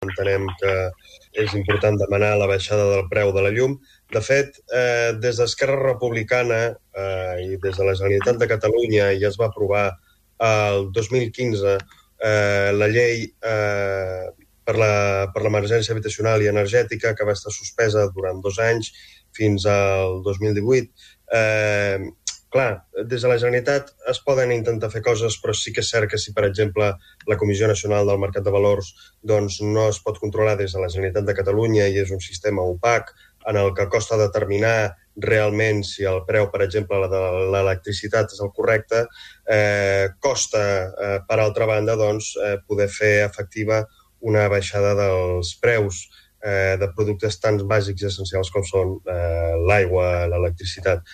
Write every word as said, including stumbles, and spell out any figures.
entenem que és important demanar la baixada del preu de la llum. De fet, eh, des d'Esquerra Republicana eh, i des de la Generalitat de Catalunya ja es va aprovar el dos mil quinze eh, la llei eh, per la, per l'emergència habitacional i energètica, que va estar suspesa durant dos anys fins al dos mil divuit. Eh, clar, des de la Generalitat es poden intentar fer coses, però sí que és cert que si, per exemple, la Comissió Nacional del Mercat de Valors doncs, no es pot controlar des de la Generalitat de Catalunya i és un sistema opac en el que costa determinar realment si el preu, per exemple, de l'electricitat és el correcte, eh, costa, eh, per altra banda, doncs, eh, poder fer efectiva una baixada dels preus eh, de productes tan bàsics i essencials com són eh, l'aigua, l'electricitat.